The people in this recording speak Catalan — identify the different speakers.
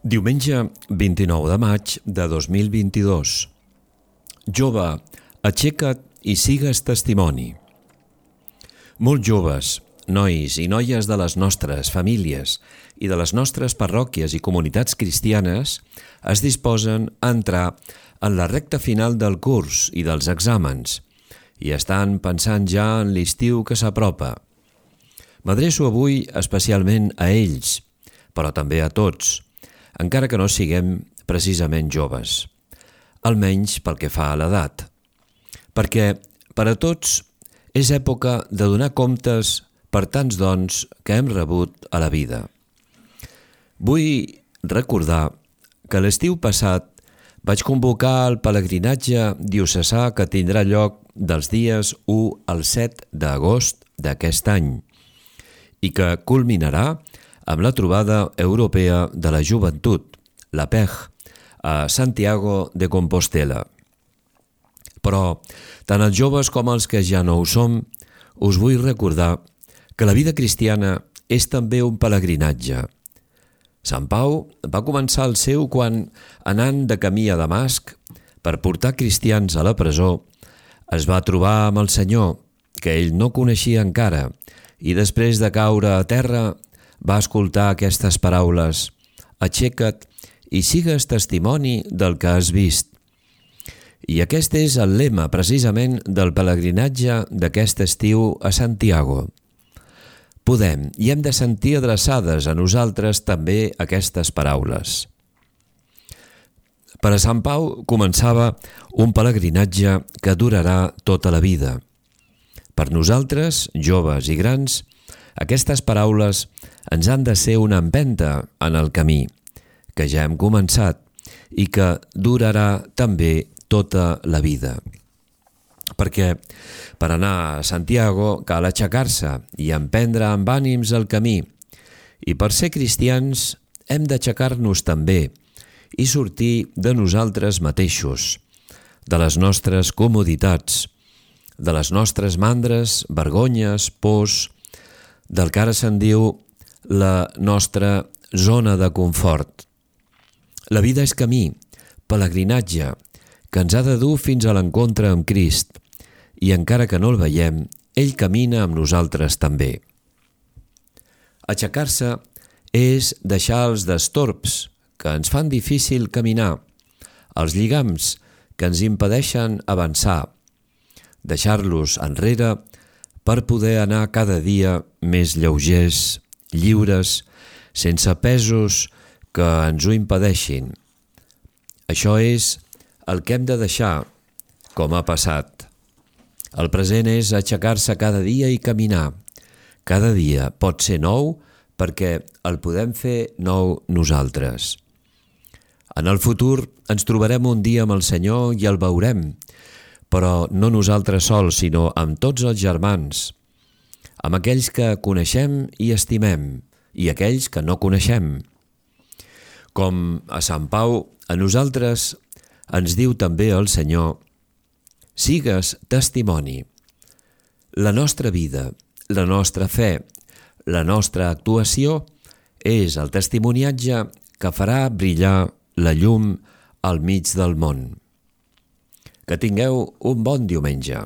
Speaker 1: Diumenge 29 de maig de 2022. Jove, aixeca't i sigues testimoni. Molts joves, nois i noies de les nostres famílies i de les nostres parròquies i comunitats cristianes es disposen a entrar en la recta final del curs i dels exàmens i estan pensant ja en l'estiu que s'apropa. M'adreço avui especialment a ells, però també a tots, encara que no siguem precisament joves, almenys pel que fa a l'edat, perquè per a tots és època de donar comptes per tants dons que hem rebut a la vida. Vull recordar que l'estiu passat vaig convocar el pelegrinatge diocesà que tindrà lloc dels dies 1 al 7 d'agost d'aquest any i que culminarà amb la trobada europea de la joventut, la PEG, a Santiago de Compostela. Però, tant els joves com els que ja no ho som, us vull recordar que la vida cristiana és també un pelegrinatge. Sant Pau va començar el seu quan, anant de camí a Damasc per portar cristians a la presó, es va trobar amb el Senyor, que ell no coneixia encara, i després de caure a terra va escoltar aquestes paraules: «Aixeca't i sigues testimoni del que has vist». I aquest és el lema, precisament, del pelegrinatge d'aquest estiu a Santiago. Podem i hem de sentir adreçades a nosaltres també aquestes paraules. Per a Sant Pau començava un pelegrinatge que durarà tota la vida. Per nosaltres, joves i grans, aquestes paraules ens han de ser una empenta en el camí, que ja hem començat i que durarà també tota la vida. Perquè per anar a Santiago cal aixecar-se i emprendre amb ànims el camí, i per ser cristians hem d'aixecar-nos també i sortir de nosaltres mateixos, de les nostres comoditats, de les nostres mandres, vergonyes, pors, del que ara se'n diu la nostra zona de confort. La vida és camí, pelegrinatge, que ens ha de dur fins a l'encontre amb Crist, i encara que no el veiem, ell camina amb nosaltres també. Aixecar-se és deixar els destorbs que ens fan difícil caminar, els lligams que ens impedeixen avançar, deixar-los enrere per poder anar cada dia més lleugers, lliures, sense pesos que ens ho impedeixin. Això és el que hem de deixar, com ha passat. El present és aixecar-se cada dia i caminar. Cada dia pot ser nou perquè el podem fer nou nosaltres. En el futur ens trobarem un dia amb el Senyor i el veurem, però no nosaltres sols, sinó amb tots els germans, amb aquells que coneixem i estimem, i aquells que no coneixem. Com a Sant Pau, a nosaltres ens diu també el Senyor: sigues testimoni. La nostra vida, la nostra fe, la nostra actuació és el testimoniatge que farà brillar la llum al mig del món. Que tingueu un bon diumenge.